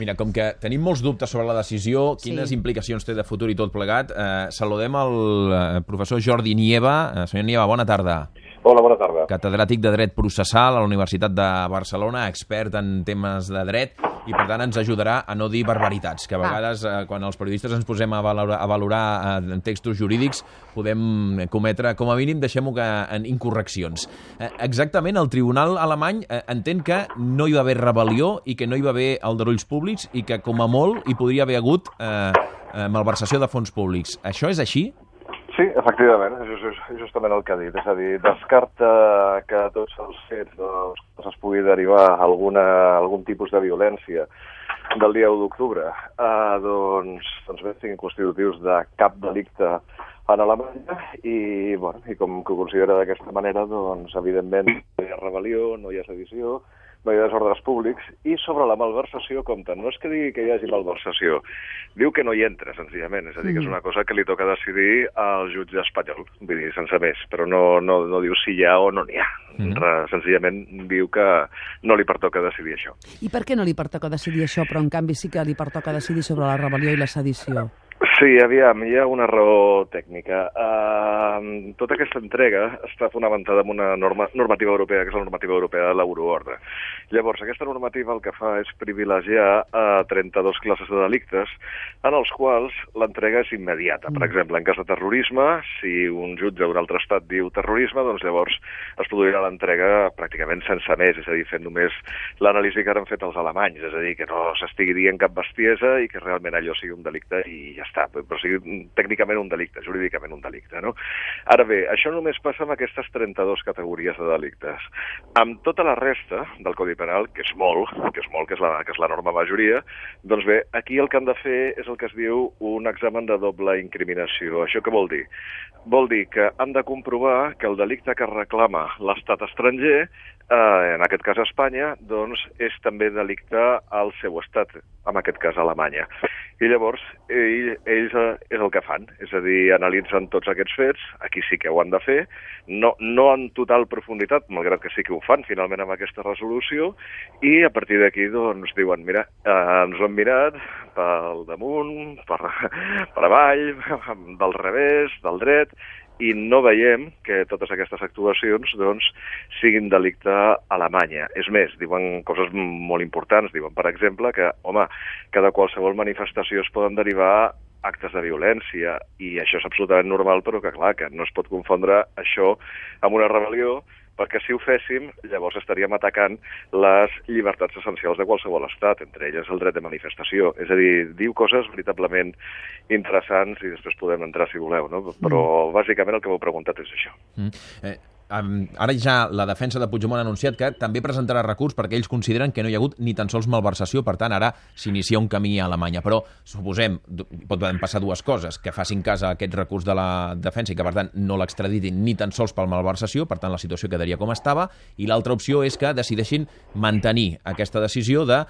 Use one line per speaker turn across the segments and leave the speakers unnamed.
Mira, com que tenim molts dubtes sobre la decisió, quines implicacions té de futur i tot plegat, saludem el professor Jordi Nieva. Senyor Nieva, bona tarda.
Hola, bona tarda.
Catedràtic de Dret Processal a la Universitat de Barcelona, expert en temes de dret, i per tant ens ajudarà a no dir barbaritats, que a vegades quan els periodistes ens posem a valorar textos jurídics podem cometre, com a mínim, deixem-ho en incorreccions. Exactament, el tribunal alemany entén que no hi va haver rebel·lió i que no hi va haver aldarulls públics i que, com a molt, hi podria haver hagut malversació de fons públics. Això és així?
Sí, efectivament, és justament el que ha dit. És a dir, descarta que tots els fets es pugui derivar algun tipus de violència del dia 1 d'octubre, doncs bé, siguin constitutius de cap delicte en Alemanya i com que ho considera d'aquesta manera, doncs evidentment no hi ha rebel·lió, no hi ha sedició, no hi ha desordres públics, i sobre la malversació compten. No és que digui que hi hagi malversació, diu que no hi entra, senzillament. És a dir, que és una cosa que li toca decidir al jutge espanyol, vull dir, sense més, però no diu si hi ha o no n'hi ha. Senzillament diu que no li pertoca decidir això.
I per què no li pertoca decidir això, però en canvi sí que li pertoca decidir sobre la rebel·lió i la sedició?
Sí, aviam, hi ha una raó tècnica. Tota aquesta entrega està fonamentada en una normativa europea, que és la normativa europea de l'Euroordre. Llavors, aquesta normativa el que fa és privilegiar 32 classes de delictes en els quals l'entrega és immediata. Per exemple, en cas de terrorisme, si un jutge d'un altre estat diu terrorisme, doncs llavors es produirà l'entrega pràcticament sense més, és a dir, fent només l'anàlisi que han fet els alemanys, és a dir, que no s'estigui dient cap bestiesa i que realment allò sigui un delicte i ja està, però sigui tècnicament un delicte, jurídicament un delicte, no? Ara bé, això només passa amb aquestes 32 categories de delictes. Amb tota la resta del Codi Penal, que és molt, que és la norma majoria, doncs bé, aquí el que han de fer és el que es diu un examen de doble incriminació. Això què vol dir? Vol dir que han de comprovar que el delicte que reclama l'estat estranger, en aquest cas Espanya, doncs és també delicte al seu estat, en aquest cas Alemanya. I llavors ells és el que fan, és a dir, analitzen tots aquests fets, aquí sí que ho han de fer, no en total profunditat, malgrat que sí que ho fan finalment amb aquesta resolució, i a partir d'aquí doncs diuen, mira, ens ho hem mirat pel damunt, per avall, del revés, del dret, i no veiem que totes aquestes actuacions doncs, siguin delicte a Alemanya. És més, diuen coses molt importants. Diuen, per exemple, que de qualsevol manifestació es poden derivar actes de violència, i això és absolutament normal, però que, clar, que no es pot confondre això amb una rebel·lió, perquè si ho féssim, llavors estaríem atacant les llibertats essencials de qualsevol estat, entre elles el dret de manifestació. És a dir, diu coses veritablement interessants i després podem entrar si voleu, no? Però bàsicament el que m'heu preguntat és això.
Ara ja la defensa de Puigdemont ha anunciat que també presentarà recurs perquè ells consideren que no hi ha hagut ni tan sols malversació, per tant ara s'inicia un camí a Alemanya. Però suposem, poden passar dues coses, que facin cas a aquest recurs de la defensa i que per tant no l'extraditin ni tan sols per malversació, per tant la situació quedaria com estava, i l'altra opció és que decideixin mantenir aquesta decisió de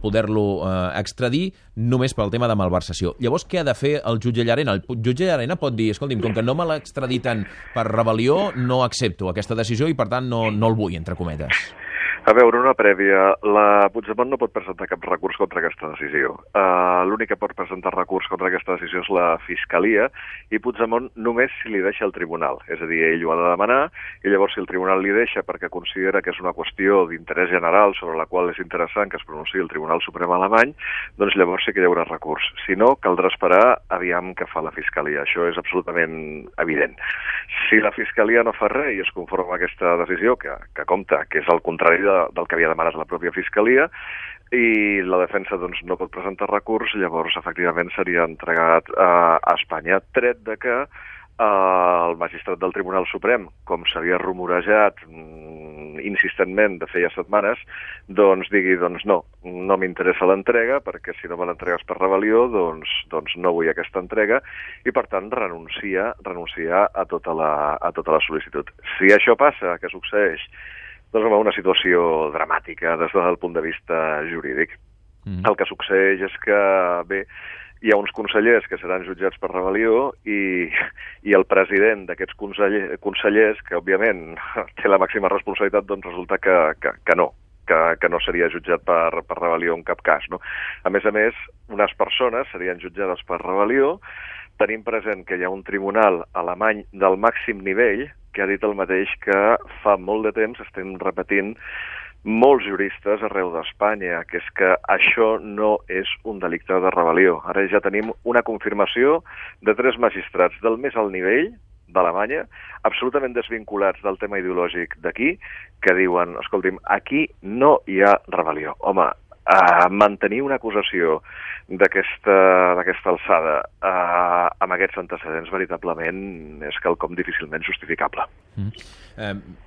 poder-lo extradir només pel tema de malversació. Llavors, què ha de fer el jutge Llarena? El jutge Llarena pot dir, escolti'm, com que no me l'extraditen per rebel·lió, no accepto aquesta decisió i, per tant, no el vull, entre cometes.
A veure, una prèvia. La Puigdemont no pot presentar cap recurs contra aquesta decisió. L'únic que pot presentar recurs contra aquesta decisió és la Fiscalia, i Puigdemont només si li deixa el tribunal. És a dir, ell ho ha de demanar, i llavors si el tribunal li deixa perquè considera que és una qüestió d'interès general sobre la qual és interessant que es pronunciï el Tribunal Suprem alemany, doncs llavors sí que hi haurà recurs. Si no, caldrà esperar aviam què fa la Fiscalia. Això és absolutament evident. Si la Fiscalia no fa res i es conforma amb aquesta decisió, que compta, que és el contrari del que havia demanat la pròpia Fiscalia, i la defensa doncs, no pot presentar recurs, llavors efectivament seria entregat a Espanya, tret de que el magistrat del Tribunal Suprem, com s'havia rumorejat insistentment de feia setmanes, doncs digui, doncs no m'interessa l'entrega, perquè si no me l'entregues per rebel·lió, doncs no vull aquesta entrega, i per tant renuncia a tota la sol·licitud. Si això passa, què succeeix? Doncs una situació dramàtica des del punt de vista jurídic. El que succeeix és que, bé, hi ha uns consellers que seran jutjats per rebel·lió i el president d'aquests consellers, que òbviament té la màxima responsabilitat, doncs resulta que no, que no seria jutjat per rebel·lió en cap cas, no? A més, unes persones serien jutjades per rebel·lió. Tenim present que hi ha un tribunal alemany del màxim nivell que ha dit el mateix que fa molt de temps estem repetint molts juristes arreu d'Espanya, que és que això no és un delicte de rebel·lió. Ara ja tenim una confirmació de 3 magistrats del més alt nivell d'Alemanya, absolutament desvinculats del tema ideològic d'aquí, que diuen, escolti'm, aquí no hi ha rebel·lió. Home, mantenir una acusació d'aquesta alçada amb aquests antecedents veritablement és quelcom difícilment justificable.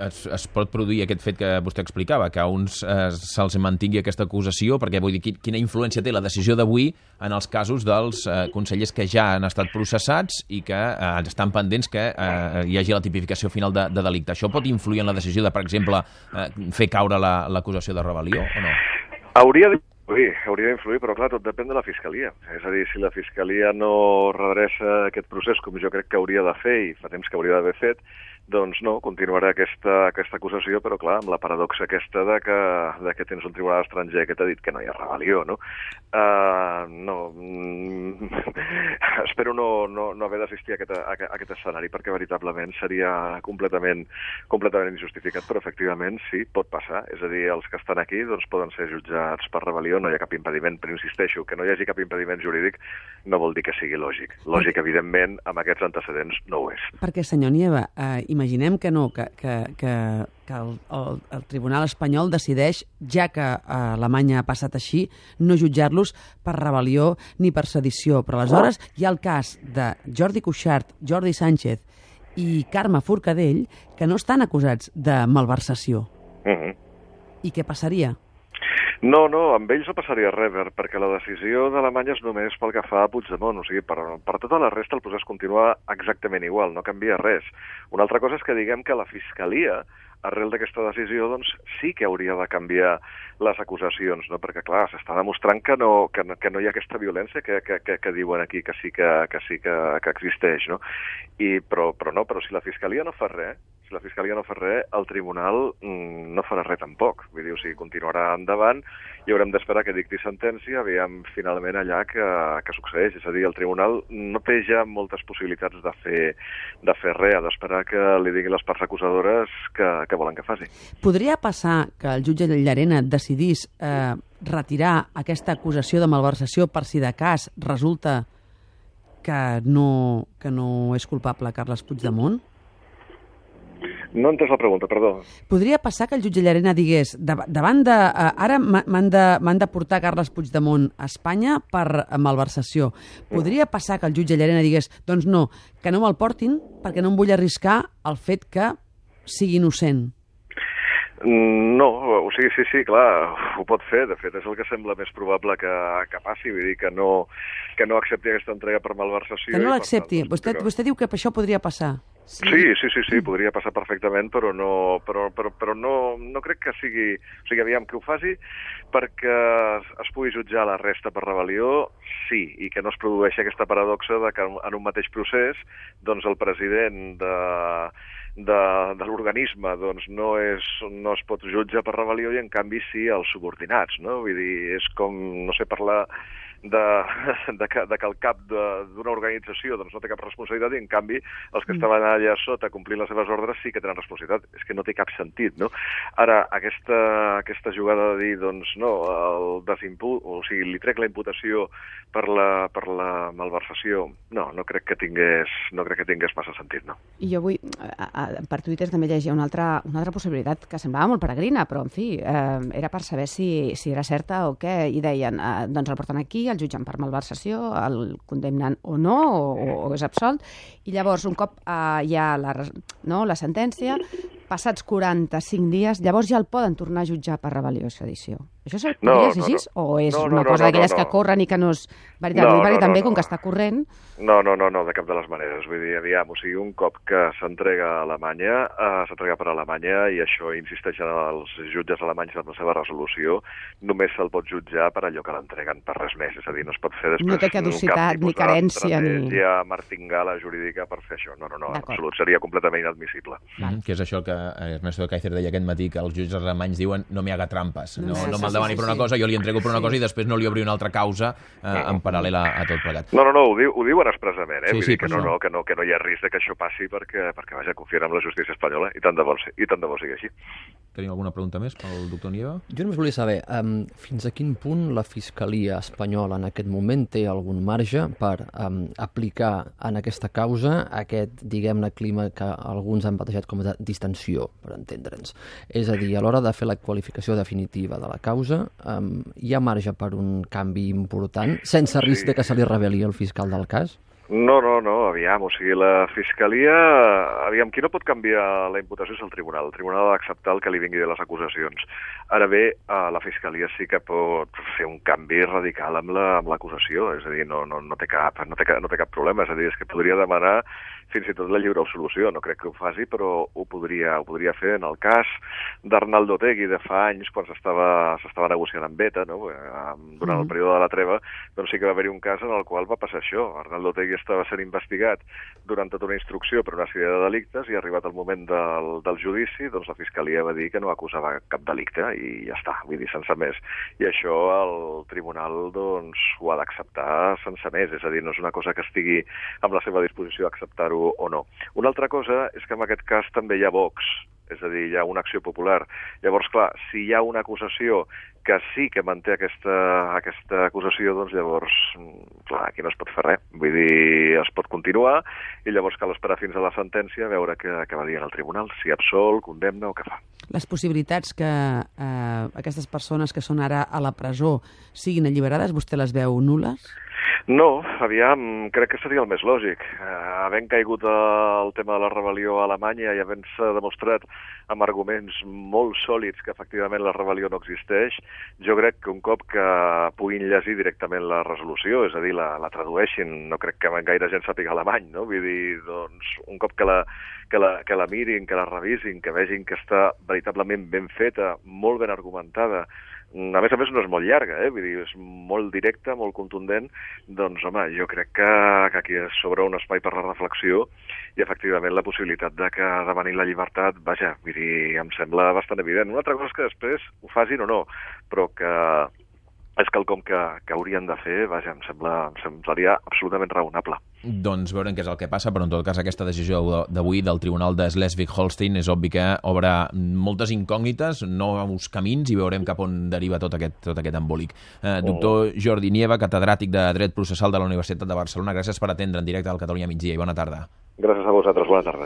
Es pot produir aquest fet que vostè explicava, que a uns se'ls mantingui aquesta acusació, perquè vull dir, quina influència té la decisió d'avui en els casos dels consellers que ja han estat processats i que estan pendents que hi hagi la tipificació final de delicte. Això pot influir en la decisió de, per exemple, fer caure l'acusació de rebel·lió o no?
Hauria d'influir, però clar, tot depèn de la Fiscalia. És a dir, si la Fiscalia no redreça aquest procés com jo crec que hauria de fer i fa temps que hauria d'haver fet, doncs no, continuarà aquesta acusació, però clar, amb la paradoxa aquesta de que tens un tribunal estranger que t'ha dit que no hi ha rebel·lió, no? Espero no haver d'assistir a aquest escenari, perquè veritablement seria completament injustificat, però efectivament sí, pot passar. És a dir, els que estan aquí doncs poden ser jutjats per rebel·lió, no hi ha cap impediment, però insisteixo, que no hi hagi cap impediment jurídic no vol dir que sigui lògic. Lògic, evidentment, amb aquests antecedents no ho és.
Perquè, senyor Nieva, imaginem que no, que el Tribunal espanyol decideix, ja que Alemanya ha passat així, no jutjar-los per rebel·lió ni per sedició. Però aleshores hi ha el cas de Jordi Cuixart, Jordi Sánchez i Carme Forcadell, que no estan acusats de malversació. I què passaria?
No, amb ells no passaria res, perquè la decisió d'Alemanya és només pel que fa a Puigdemont, o sigui, per tota la resta el procés continua exactament igual, no canvia res. Una altra cosa és que diguem que la Fiscalia, arrel d'aquesta decisió, doncs sí que hauria de canviar les acusacions, no? Perquè, clar, s'està demostrant que no hi ha aquesta violència que diuen aquí, que sí que existeix, no? Però si la Fiscalia no fa res, el Tribunal no farà res tampoc. Vull dir, o sigui, continuarà endavant i haurem d'esperar que dicti sentència, aviam finalment allà que succeeix. És a dir, el Tribunal no té ja moltes possibilitats de fer res, ha d'esperar que li diguin les parts acusadores que volen que faci.
Podria passar que el jutge Llarena decidís retirar aquesta acusació de malversació per si de cas resulta que no és culpable Carles Puigdemont?
No he entès la pregunta, perdó.
Podria passar que el jutge Llarena digués davant de... Ara m'han de portar Carles Puigdemont a Espanya per malversació. Podria passar que el jutge Llarena digués doncs no, que no me'l portin perquè no em vull arriscar el fet que sigui innocent.
No, o sigui, sí, clar, ho pot fer. De fet, és el que sembla més probable que passi. Vull dir que no accepti aquesta entrega per malversació.
Que no l'accepti. Vostè diu que això podria passar.
Sí, podria passar perfectament, però no crec que sigui... O sigui, aviam, que ho faci perquè es pugui jutjar la resta per rebel·lió, sí, i que no es produeixi aquesta paradoxa de que en un mateix procés doncs el president de l'organisme doncs no es pot jutjar per rebel·lió i en canvi sí els subordinats, no? Vull dir, és com, no sé, parlar de que el cap d'una organització doncs no té cap responsabilitat i en canvi els que estaven allà sota complint les seves ordres sí que tenen responsabilitat. És que no té cap sentit, no? Ara, aquesta jugada de dir, doncs no, o sigui, li trec la imputació per la malversació, no crec que tingués massa sentit, no?
I jo vull, per Twitter també llegia una altra possibilitat que semblava molt peregrina, però en fi, era per saber si era certa o què, i deien, doncs el porten aquí, el jutgen per malversació, el condemnen o no, o és absolt, i llavors un cop hi ha la sentència, passats 45 dies, llavors ja el poden tornar a jutjar per rebel·lió i sedició. Això podria ser així? O és una cosa d'aquelles que corren i que no és veritat? Perquè també, com que està corrent...
No, de cap de les maneres. Vull dir, aviam, o sigui, un cop que s'entrega a Alemanya, s'entrega per Alemanya, i això insisteixen els jutges alemanys en la seva resolució, només se'l pot jutjar per allò que l'entreguen, per res més. És a dir, no es pot fer després...
No té caducitat, ni carència, ni...
martingala jurídica per fer això. No, en absolut, seria completament inadmissible.
Que és això que Ernesto de Kaiser deia aquest matí, que els jutges alemanys diuen no me haga trampas, no me'l demani per una cosa, jo li entrego per una cosa i després no li obri una altra causa en paral·lel a tot plegat.
No, ho diuen expressament, vull dir que no hi ha risc que això passi perquè vaja, confien en la justícia espanyola i tant de bo sigui així.
Tenim alguna pregunta més pel doctor Nieva?
Jo només volia saber fins a quin punt la Fiscalia espanyola en aquest moment té algun marge per aplicar en aquesta causa aquest, diguem-ne, clima que alguns han batejat com a distensió, per entendre'ns. És a dir, a l'hora de fer la qualificació definitiva de la causa, hi ha marge per un canvi important, sense risc de que se li reveli el fiscal del cas?
No, aviam, o sigui, la Fiscalia... Aviam, qui no pot canviar la imputació és el Tribunal. El Tribunal ha d'acceptar el que li vingui de les acusacions. Ara bé, la Fiscalia sí que pot fer un canvi radical amb l'acusació, és a dir, no té cap problema, és a dir, és que podria demanar fins i tot la lliure absolució. No crec que ho faci, però ho podria fer en el cas d'Arnaldo Otegi de fa anys, quan s'estava negociant amb ETA, no? Durant el període de la treva, doncs sí que va haver-hi un cas en el qual va passar això. Arnaldo Otegi estava sent investigat durant tota una instrucció per una sèrie de delictes i arribat el moment del judici, doncs la Fiscalia va dir que no acusava cap delicte i ja està, vull dir, sense més. I això el Tribunal doncs ho ha d'acceptar sense més, és a dir, no és una cosa que estigui amb la seva disposició d'acceptar-ho o no. Una altra cosa és que en aquest cas també hi ha Vox, és a dir, hi ha una acció popular. Llavors, clar, si hi ha una acusació que sí que manté aquesta acusació, doncs llavors, clar, aquí no es pot fer res. Vull dir, es pot continuar i llavors cal esperar fins a la sentència a veure què va dir en el tribunal, si absol, condemna o què fa.
Les possibilitats que aquestes persones que són ara a la presó siguin alliberades, vostè les veu nul·les?
No, aviam, crec que seria el més lògic. Havent caigut el tema de la rebel·lió a Alemanya i havent-se demostrat amb arguments molt sòlids que efectivament la rebel·lió no existeix, jo crec que un cop que puguin llegir directament la resolució, és a dir, la tradueixin, no crec que gaire gent sàpiga alemany, no? Vull dir, doncs, un cop que la mirin, que la revisin, que vegin que està veritablement ben feta, molt ben argumentada, a més no és molt llarga, vull dir, és molt directa, molt contundent, doncs, home, jo crec que aquí s'obre un espai per la reflexió i, efectivament, la possibilitat de que demanin la llibertat, vaja, vull dir, em sembla bastant evident. Una altra cosa és que després ho facin o no, però que és quelcom que haurien de fer, vaja, em semblaria absolutament raonable.
Doncs veurem què és el que passa, però en tot cas aquesta decisió d'avui del Tribunal de Schleswig-Holstein és obvi que obre moltes incògnites, nous camins, i veurem cap on deriva tot aquest embolic. Doctor Jordi Nieva, catedràtic de Dret Processal de la Universitat de Barcelona, gràcies per atendre en directe al Catalunya Migdia i bona tarda.
Gràcies a vosaltres, bona tarda.